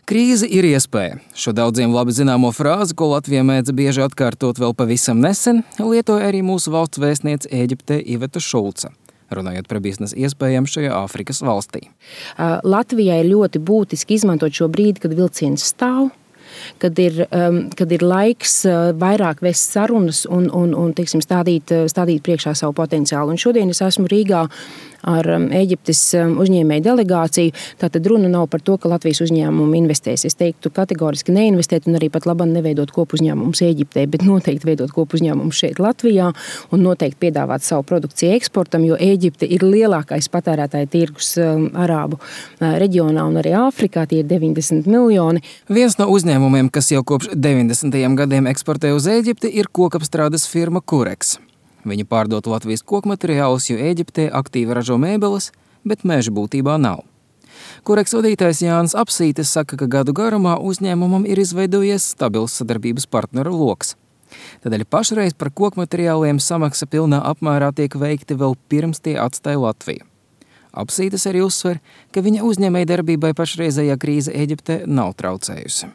Krīze ir iespēja. Šo daudziem labi zināmo frāzi, ko Latvija mēdza bieži atkārtot vēl pavisam nesen, lietoja arī mūsu valsts vēstniece Ēģiptē Iveta Šulca, runājot par biznesa iespējām šajā Āfrikas valstī. Latvijai ļoti būtiski izmantot šo brīdi, kad vilciens stāv, kad ir laiks vairāk vest sarunas un teiksim, stādīt priekšā savu potenciālu. Un šodien es esmu Rīgā ar Ēģiptes uzņēmēju delegāciju. Tātad runa nav par to, ka Latvijas uzņēmumi investēs. Es teiktu kategoriski neinvestēt un arī pat labam neveidot kopuzņēmumus Ēģiptē, bet noteikti veidot kopuzņēmumus šeit Latvijā un noteikti piedāvāt savu produkciju eksportam, jo Ēģipte ir lielākais patērētāja tirgus Arābu reģionā un arī Āfrikā. Tie ir 90 miljoni. Viens no uzņēmumiem, kas jau kopš 90. gadiem eksportē uz Ēģipti, ir kokapstrādes firma Kureks. Viņi pārdod Latvijas kokmateriālus, jo Ēģiptē aktīvi ražo mēbeles, bet meža būtībā nav. Kureks vadītājs Jānis Apsītis saka, ka gadu garumā uzņēmumam ir izveidojies stabils sadarbības partneru loks. Tādēļ pašreiz par kokmateriāliem samaksa pilnā apmērā tiek veikti vēl pirms tie atstāja Latviju. Apsītis arī uzsver, ka viņa uzņēmēja darbībai pašreizējā krīze Ēģiptē nav traucējusi.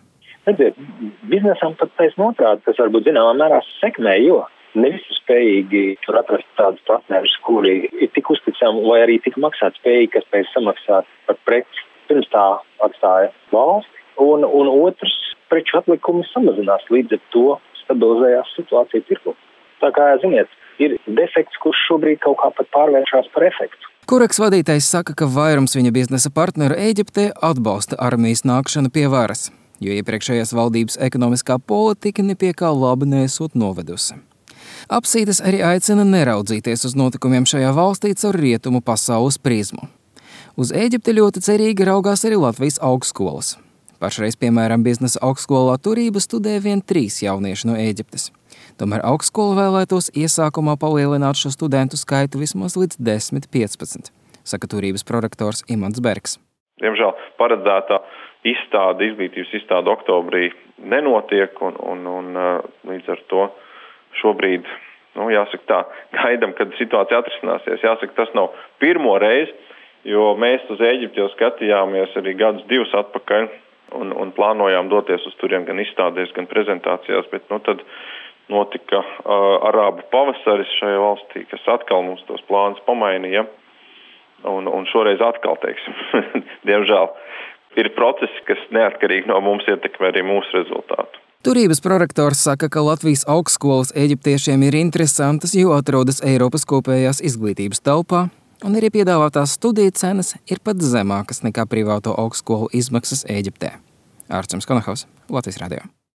Redziet, biznesam pat taisn otrādi, tas varbūt zināmā mērā sekmē, jo ne visi spējīgi tur atrast tādus partnerus, kuri ir tik uzticami vai arī tik maksāt spējīgi, kas spēj samaksāt par preci. Pirms tā atstāja valsti, un otrs preču atlikumi samazinās, līdz ar to stabilizējās situācija tirgu. Tā kā, ziniet, ir defekts, kurš šobrīd kaut kā pat pārvēršās par efektu. Kureks vadītājs saka, ka vairums viņa biznesa partneru Ēģiptē atbalsta armijas nākšanu pie varas, jo iepriekšējās valdības ekonomiskā politika nepie kā labi neesot novedusi. Apsītis arī aicina neraudzīties uz notikumiem šajā valstī caur rietumu pasaules prizmu. Uz Ēģipti ļoti cerīgi raugās arī Latvijas augstskolas. Pašreiz, piemēram, biznesa augstskolā turība studē vien 3 jaunieši no Ēģiptes. Tomēr augstskola vēlētos iesākumā palielināt šo studentu skaitu vismaz līdz 10–15, saka turības prorektors Imants Bergs. Diemžēl paredzētā izglītības izstāde oktobrī nenotiek un līdz ar to šobrīd, jāsaka tā, gaidam, kad situācija atrisināsies. Jāsaka, tas nav pirmo reizi, jo mēs uz Ēģipti jau skatījāmies arī gadus 2 atpakaļ un plānojām doties uz turien gan izstādēs, gan prezentācijās, bet tad notika Arābu pavasaris šajā valstī, kas atkal mums tos plānus pamainīja un šoreiz atkal, teiksim, diemžēl ir procesi, kas neatkarīgi no mums ietekmē arī mūsu rezultātu. Turības prorektors saka, ka Latvijas augstskolas eģiptiešiem ir interesantas, jo atrodas Eiropas kopējās izglītības telpā, un arī piedāvātās studiju cenas ir pat zemākas nekā privāto augstskolu izmaksas Ēģiptē. Ārčuns Konahaus, Latvijas radio.